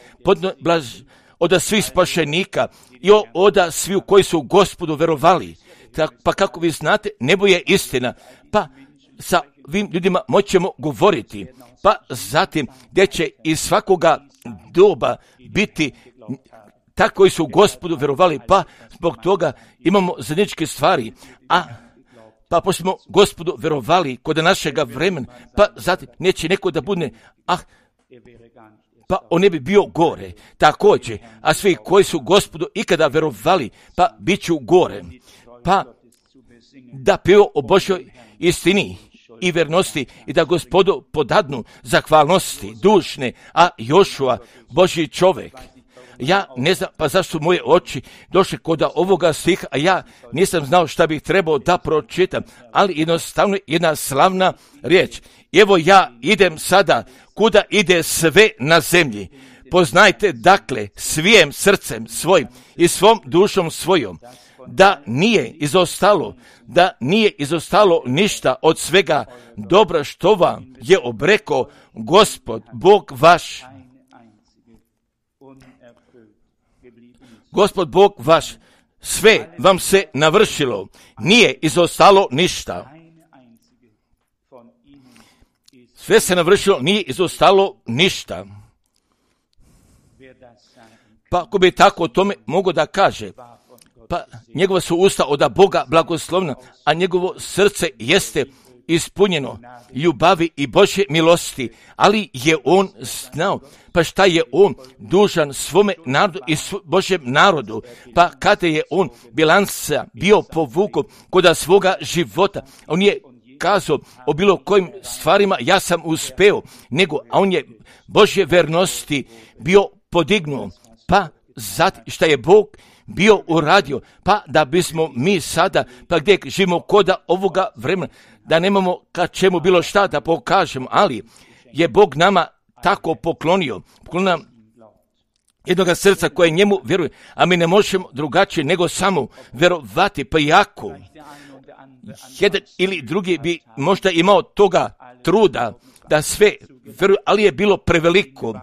od svih spašenika i od svih koji su Gospodu verovali. Pa kako vi znate, nebo je istina, pa sa ovim ljudima moćemo govoriti, pa zatim gdje će iz svakoga doba biti tako koji su Gospodu vjerovali, pa zbog toga imamo zajedničke stvari, pa pošto smo Gospodu vjerovali kod našega vremena, pa zatim neće neko da bude, pa on ne bi bio gore, također, a svi koji su Gospodu ikada vjerovali, pa bit ću gore, pa da pio o Božoj istini i vernosti i da Gospodu podadnu zahvalnosti dušne, a Jošua, Božji čovjek. Ja ne znam pa zašto moje oči došle kod ovoga stiha, a ja nisam znao šta bih trebao da pročitam, ali jednostavno jedna slavna riječ. Evo ja idem sada kuda ide sve na zemlji. Poznajte dakle svijim srcem svojim i svom dušom svojom, da nije izostalo ništa od svega dobra što vam je obreko Gospod Bog vaš. Gospod Bog vaš, sve vam se navršilo, nije izostalo ništa. Sve se navršilo, nije izostalo ništa. Pa ako bi tako o tome mogo da kaže, pa njegova su usta od Boga blagoslovna, a njegovo srce jeste ispunjeno ljubavi i Božje milosti, ali je on znao, pa šta je on dužan svome narodu i Božjem narodu, pa kada je on bilansa bio povukao kod svoga života, on je kazao o bilo kojim stvarima ja sam uspeo, a on je Božje vernosti bio podignuo, pa zatim šta je Bog bio uradio, pa da bismo mi sada, pa gdje živimo koda ovoga vremena, da nemamo ka čemu bilo šta da pokažemo, ali je Bog nama tako poklonio nam jednoga srca koje njemu vjeruje, a mi ne možemo drugačije nego samo vjerovati, pa jako jedan ili drugi bi možda imao toga truda da sve vjeruje, ali je bilo preveliko,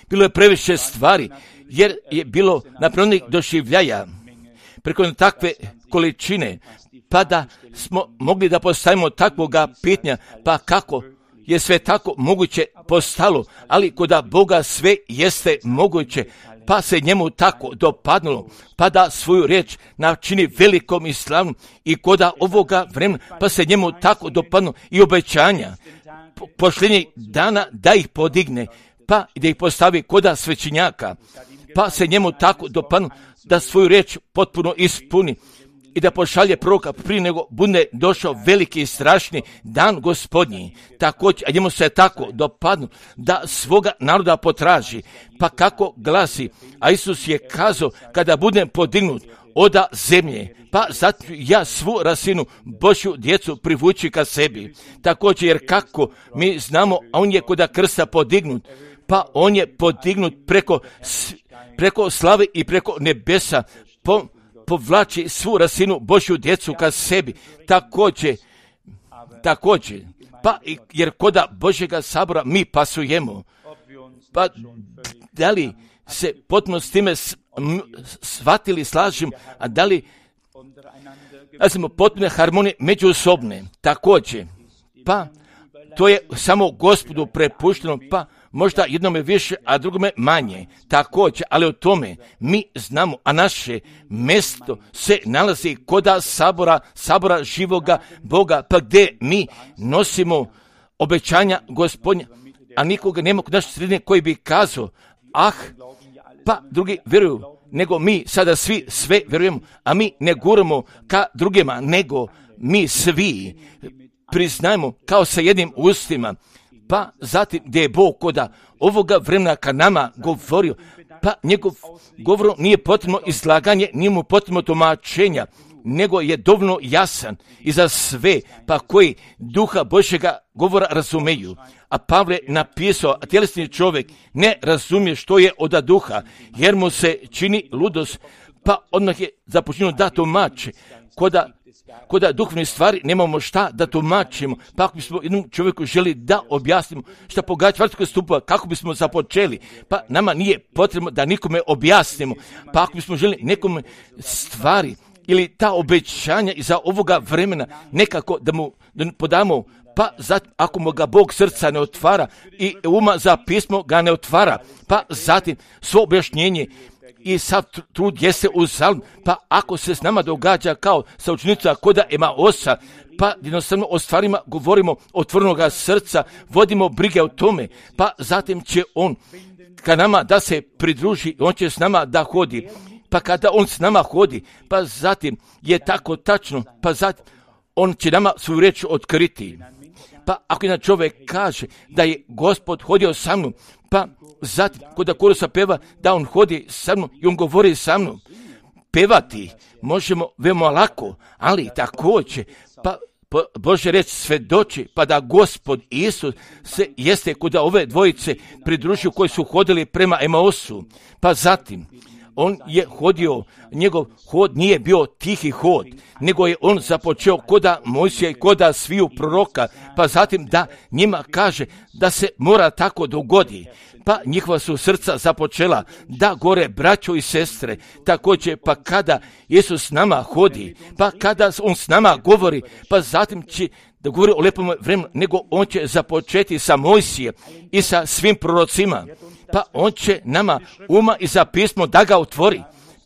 bilo je previše stvari, jer je bilo napravljenih doživljaja preko takve količine, pa da smo mogli da postavimo takvoga pitanja, pa kako je sve tako moguće postalo, ali koda Boga sve jeste moguće, pa se njemu tako dopadnulo, pa da svoju riječ načini velikom i slavnom i koda ovoga vremena, pa se njemu tako dopadnulo i obećanja posljednjih dana da ih podigne, pa da ih postavi koda svećenjaka, pa se njemu tako dopadnulo da svoju riječ potpuno ispuni i da pošalje proroka prije nego bude došao veliki i strašni dan Gospodnji. Također, a njemu se tako dopadnu da svoga naroda potraži. Pa kako glasi, a Isus je kazao, kada budem podignut oda zemlje, pa zato ja svu rasinu Božju djecu privući ka sebi. Također, jer kako mi znamo, a on je koda krsta podignut, pa on je podignut preko slave i preko nebesa, povlači svu rasinu Božju djecu ka sebi. Također, pa jer koda Božjega sabora mi pasujemo, pa da li se potpuno s time shvatili, slažem, a da li smo potpune harmonije međusobne, također, pa to je samo Gospodu prepušteno, pa možda jednome više, a drugome manje, također, ali o tome mi znamo, a naše mjesto se nalazi koda sabora živoga Boga, pa gdje mi nosimo obećanja Gospodnja, a nikoga nema kod naše sredine koji bi kazao, pa drugi vjeruju, nego mi sada svi sve vjerujemo, a mi ne guramo ka drugima, nego mi svi priznajemo kao sa jednim ustima, pa zatim gdje je Bog koda ovoga vremena ka nama govorio, pa njegov govor nije potrebno izlaganje, nije mu potrebno tumačenja, nego je dovoljno jasan i za sve, pa koji duha Božjega govora razumeju. A Pavle napisao, a tjelesni čovjek ne razumije što je od duha, jer mu se čini ludost, pa odmah je započinio da tumači. Koda duhovne stvari nemamo šta da tumačimo, pa ako bismo jednom čovjeku želi da objasnimo šta pogađa vrtskog stupa, kako bismo započeli, pa nama nije potrebno da nikome objasnimo, pa ako bismo želi nekome stvari ili ta obećanja iza ovoga vremena nekako da mu podamo, pa zatim ako mu ga Bog srca ne otvara i uma za pismo ga ne otvara, pa zatim svo objašnjenje i sav trud jeste uzalud, pa ako se s nama događa kao sa učenicima koda Emaosa, pa jednostavno o stvarima govorimo otvorenoga srca, vodimo brige o tome, pa zatim će on ka nama da se pridruži, on će s nama da hodi, pa kada on s nama hodi, pa zatim je tako tačno, pa zatim on će nama svoju riječ otkriti. Pa ako jedan čovjek kaže da je Gospod hodio sa mnom, pa zatim kod korusa peva da on hodi sa mnom i on govori sa mnom, pevati možemo veoma lako, ali također pa Božja riječ svedoči, pa da Gospod Isus se jeste kod ove dvojice pridružio koji su hodili prema Emaosu, pa zatim on je hodio, njegov hod nije bio tihi hod, nego je on započeo koda Mojsija i koda sviju proroka, pa zatim da njima kaže da se mora tako dogodi, pa njihova su srca započela da gore braćo i sestre, također pa kada Isus s nama hodi, pa kada on s nama govori, pa zatim će da govori o lepom vremenu, nego on će započeti sa Mojsijem i sa svim prorocima, pa on će nama uma i za pismo da ga otvori.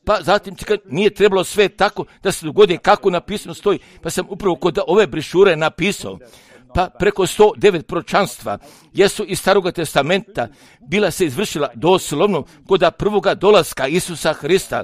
Pa zatim nije trebalo sve tako da se dogodi kako na pismu stoji, pa sam upravo kod ove brišure napisao, pa preko 109 proročanstva jesu iz Staroga testamenta bila se izvršila doslovno kod prvoga dolaska Isusa Hrista,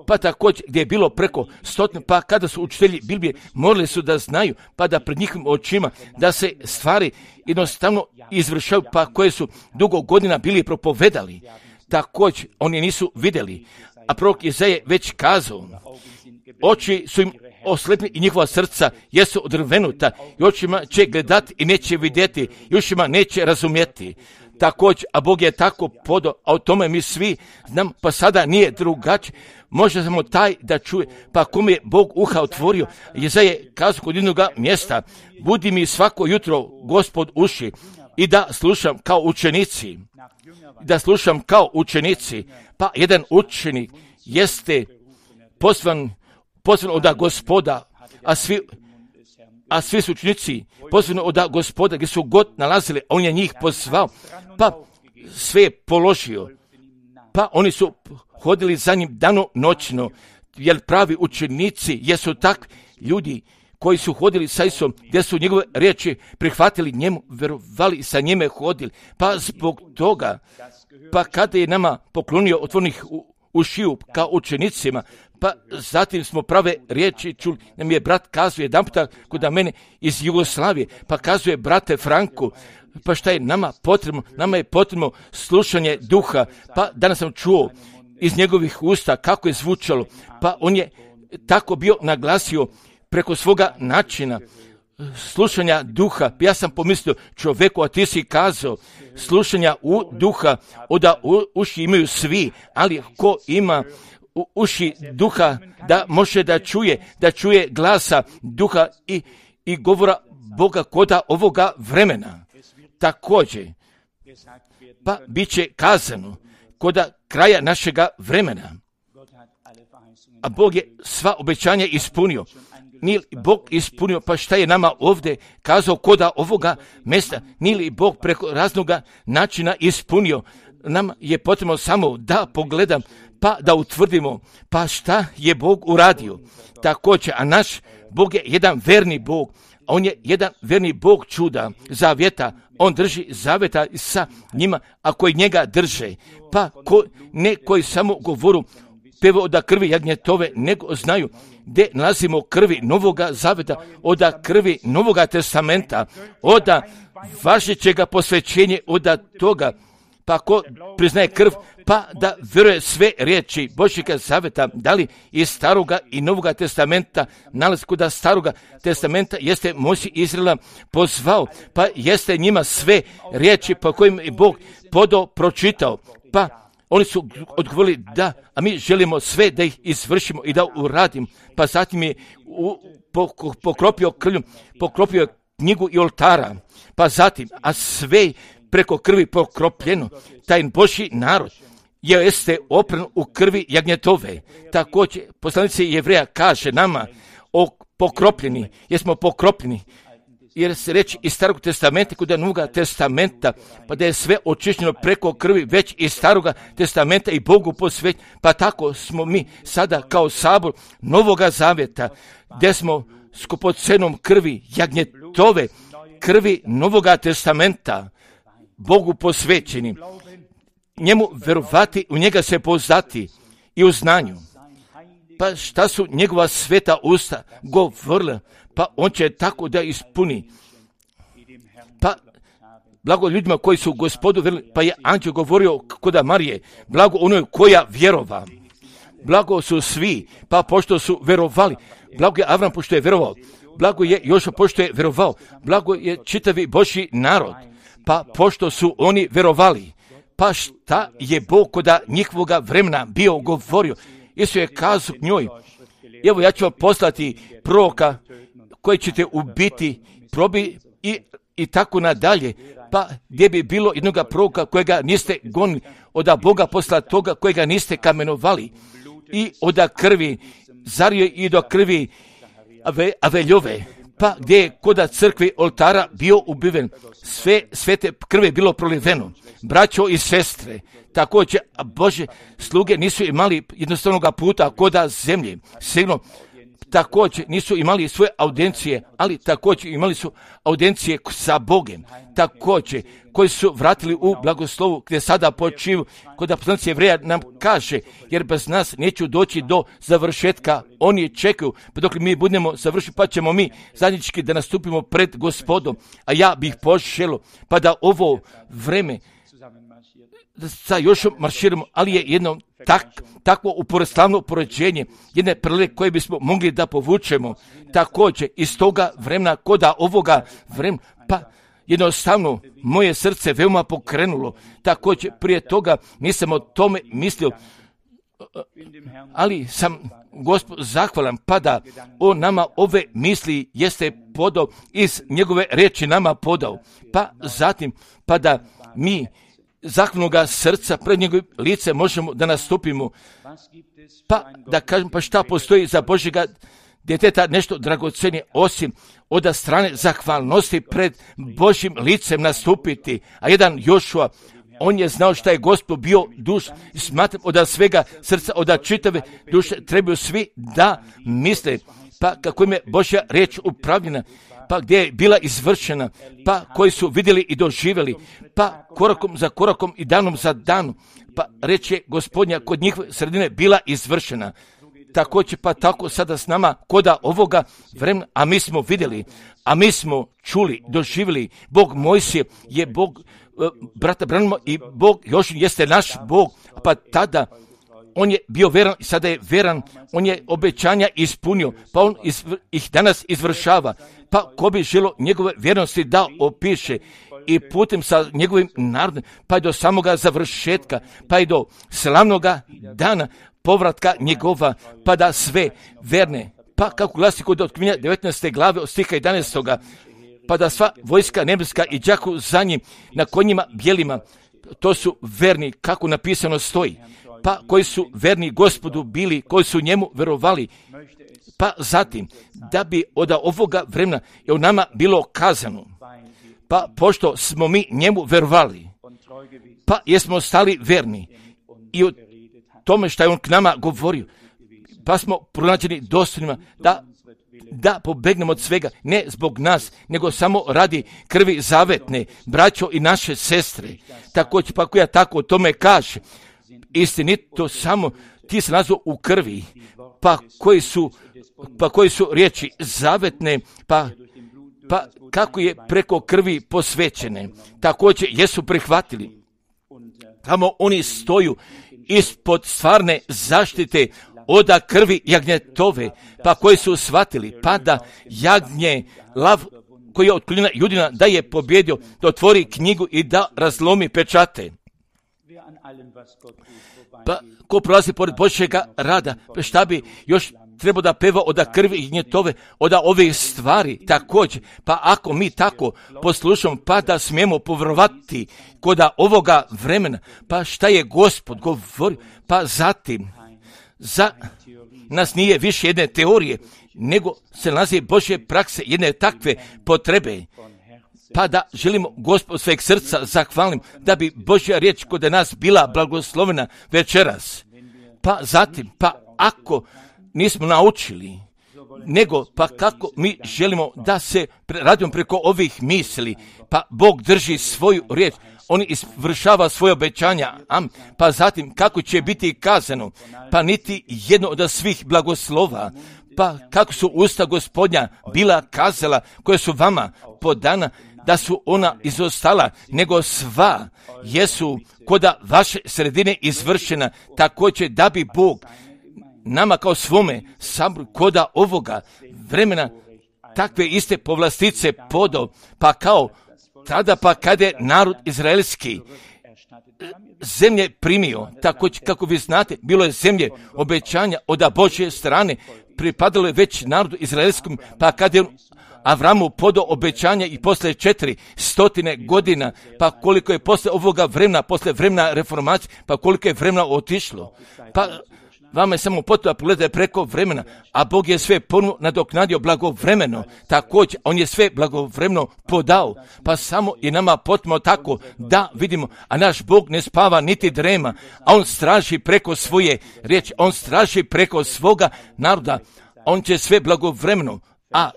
pa također gdje je bilo preko 100, pa kada su učitelji Biblije morali su da znaju, pa da pred njihovim očima da se stvari jednostavno izvršaju, pa koje su dugo godina bili propovedali. Također oni nisu vidjeli, a prorok Izaja već kazao, oči su im oslepni i njihova srca jesu odrvenuta i očima će gledati i neće vidjeti i ušima neće razumjeti. Također, a Bog je tako podao, a o tome mi svi znam, pa sada nije drugačije. Može samo taj da čuje, pa kome je Bog uha otvorio. Izaja je kazao kod jednog mjesta, budi mi svako jutro Gospod uši i da slušam kao učenici. Da slušam kao učenici, pa jedan učenik jeste pozvan od Gospoda, a svi su učenici pozvani od Gospoda gdje su god nalazili, a on je njih pozvao, pa sve je položio, pa oni su hodili za njim dano noćno, jer pravi učenici jesu takvi ljudi koji su hodili sa Isusom, gdje su njegove riječi prihvatili njemu, verovali, sa njime hodili, pa zbog toga, pa kada je nama poklonio otvornih ušiju kao učenicima, pa zatim smo prave riječi čuli, nam je brat kazuje jedan puta kod mene iz Jugoslavije, pa kazuje brate Franku, pa šta je nama potrebno? Nama je potrebno slušanje duha, pa danas sam čuo iz njegovih usta kako je zvučalo, pa on je tako bio naglasio preko svoga načina slušanja duha. Ja sam pomislio čovjeku, a ti si kazao slušanja duha, oda uši imaju svi, ali ko ima uši duha da može da čuje glasa duha i govora Boga koda ovoga vremena. Također, pa bit će kazano koda kraja našega vremena. A Bog je sva obećanja ispunio. Nije li Bog ispunio, pa šta je nama ovdje kazao koda ovoga mjesta? Nije li Bog preko raznoga načina ispunio? Nam je potrebno samo da pogledam, pa da utvrdimo, pa šta je Bog uradio. Također, a naš Bog je jedan verni Bog, on je jedan verni Bog čuda, zavjeta, on drži zavjeta sa njima, a koji njega drže, pa ne koji samo govoru, peva od krvi jagnjetove, nego znaju gdje nalazimo krvi Novoga zavjeta, od krvi Novoga testamenta, od važećega posvećenja, od toga, pa ko priznaje krv, pa da vjeruje sve riječi Božjega zavjeta, da li iz Staroga i Novoga testamenta, nalazi kod Staroga testamenta jeste Mojsije Izraela pozvao, pa jeste njima sve riječi po kojim je Bog pročitao, pa oni su odgovorili da, a mi želimo sve da ih izvršimo i da uradimo, pa zatim je pokropio krvlju, pokropio je knjigu i oltara, pa zatim, a sve preko krvi pokropljeno, taj Božji narod jeste opran u krvi jagnjetove. Također, poslanica Jevreja kaže nama, pokropljeni, jesmo pokropljeni, jer se reći iz Starog testamenta kod Novoga testamenta, pa da je sve očišćeno preko krvi već iz Staroga testamenta i Bogu posvećeni, pa tako smo mi sada kao sabor Novoga zavjeta, gdje smo skupocenom krvi jagnjetove, krvi Novoga testamenta, Bogu posvećeni, njemu verovati, u njega se poznati i u znanju. Pa šta su njegova sveta usta govorila, pa on će tako da ispuni. Pa blago ljudima koji su Gospodu vjerovali, pa je anđel govorio kod Marije, blago onoj koja vjerova. Blago su svi, pa pošto su verovali, blago je Avram pošto je verovao, blago je Jošua pošto je verovao, blago je čitavi Božji narod, pa pošto su oni verovali. Pa šta je Bog koda njihovoga vremena bio govorio? Isus je kazao njoj, evo ja ću vam poslati proroka koji ćete ubiti, probi i tako nadalje. Pa gdje bi bilo jednoga proroka kojega niste gonili, oda Boga posla toga kojega niste kamenovali i oda krvi, zario i do krvi Aveljove, pa gdje je koda crkve oltara bio ubiven, sve te krve bilo proliveno. Braćo i sestre, također, Bože, sluge nisu imali jednostavnog puta koda zemlje, sigurno, također nisu imali svoje audijencije, ali također imali su audijencije sa Bogem, također, koji su vratili u blagoslovu gdje sada počivu, kod poslanica Jevreja nam kaže, jer bez nas neću doći do završetka, oni čekaju, pa dok mi budemo završiti, pa ćemo mi zajednički da nastupimo pred Gospodom, a ja bih poželio, pa da ovo vreme sa još marširamo, ali je jedno takvo slavno poređenje, jedne prelike koje bismo mogli da povučemo, također iz toga vremena, koda ovoga vremena, pa jednostavno moje srce veoma pokrenulo, također prije toga nisam o tome mislio, ali sam Gospod zahvalan, pa da on nama ove misli jeste podao, iz njegove riječi nama podao, pa zatim, pa da mi zahvalnoga srca pred njegovim lice možemo da nastupimo, pa da kažem, pa šta postoji za Božjega djeteta nešto dragocenije osim od strane zahvalnosti pred Božjim licem nastupiti. A jedan Jošua, on je znao šta je Gospod bio duš, smatram od svega srca, od čitave duše trebaju svi da misle, pa kako im je Božja riječ upravljena, pa gdje je bila izvršena, pa koji su vidjeli i doživjeli, pa korakom za korakom i danom za danom, pa reč je Gospodnja kod njihove sredine bila izvršena. Također pa tako sada s nama koda ovoga vremena, a mi smo vidjeli, a mi smo čuli, doživjeli, Bog Mojsije je Bog brata Branima i Bog Jošin jeste naš Bog, pa tada on je bio veran i sada je veran, on je obećanja ispunio, pa on ih danas izvršava, pa ko bi želo njegove vjernosti da opiše i putem sa njegovim narodom, pa i do samoga završetka, pa i do slavnoga dana povratka njegova, pa da sve verne, pa kako glasi kod Otkrivenja 19. glave od stiha 11. pa da sva vojska nebeska i đaku za njim na konjima bijelima, to su verni, kako napisano stoji, pa koji su verni Gospodu bili, koji su njemu verovali, pa zatim, da bi od ovoga vremena je u nama bilo kazano, pa pošto smo mi njemu verovali, pa jesmo stali verni i o tome što je on k nama govorio, pa smo pronađeni dostojnima da pobegnemo od svega, ne zbog nas, nego samo radi krvi zavetne, braćo i naše sestre. Također, pa koja tako o tome kaže, istinito samo ti se nazvao u krvi, pa koji su riječi zavetne, pa kako je preko krvi posvećene, također jesu prihvatili. Tamo oni stoju ispod stvarne zaštite oda krvi jagnjetove, pa koji su shvatili, pa da jagnje lav koji je od koljena Judina da je pobjedio, da otvori knjigu i da razlomi pečate. Pa ko prolazi pored Božjega rada, šta bi još treba da peva od krvi i njetove, od ove stvari također. Pa ako mi tako poslušamo, pa da smijemo povjerovati kod ovoga vremena, pa šta je Gospod govori, pa zatim za nas nije više jedne teorije, nego se nalazi Božje prakse, jedne takve potrebe. Pa da želimo Gospod sveg srca zahvalim da bi Božja riječ kod nas bila blagoslovena večeras. Pa zatim, pa ako nismo naučili, nego pa kako mi želimo da se radimo preko ovih misli, pa Bog drži svoju riječ, on izvršava svoje obećanja, pa zatim kako će biti kazano, pa niti jedno od svih blagoslova, pa kako su usta Gospodnja bila kazala, koje su vama podana, da su ona izostala, nego sva jesu koda vaše sredine izvršena, također da bi Bog nama kao svome saboru koda ovoga vremena takve iste povlastice podao, pa kao tada pa kada je narod izraelski zemlje primio, također kako vi znate, bilo je zemlje obećanja od Božje strane, pripadalo je već narodu izraelskom, pa kada je Avramu podao obećanja i posle 400 godina, pa koliko je posle ovoga vremena, posle vremena reformacije, pa koliko je vremena otišlo. Pa vama je samo potrebno pogledati preko vremena, a Bog je sve ponovno nadoknadio blagovremeno, također on je sve blagovremeno podao, pa samo je nama potrebno tako da vidimo, a naš Bog ne spava niti drema, a on straži preko svoje riječi, on straži preko svoga naroda, on će sve blagovremeno, a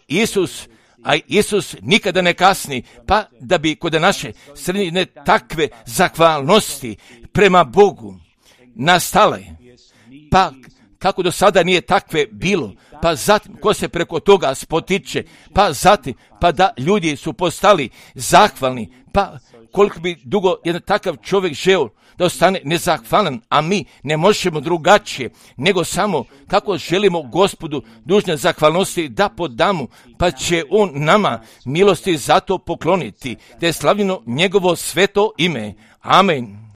Isus nikada ne kasni, pa da bi kod naše sredine takve zahvalnosti prema Bogu nastale, pa kako do sada nije takve bilo, pa zatim ko se preko toga spotiče, pa zatim pa da ljudi su postali zahvalni, pa koliko bi dugo jedan takav čovjek želio da ostane nezahvalan, a mi ne možemo drugačije, nego samo kako želimo Gospodu dužne zahvalnosti da podamo, pa će on nama milosti za to pokloniti, te je slavljeno njegovo sveto ime. Amen.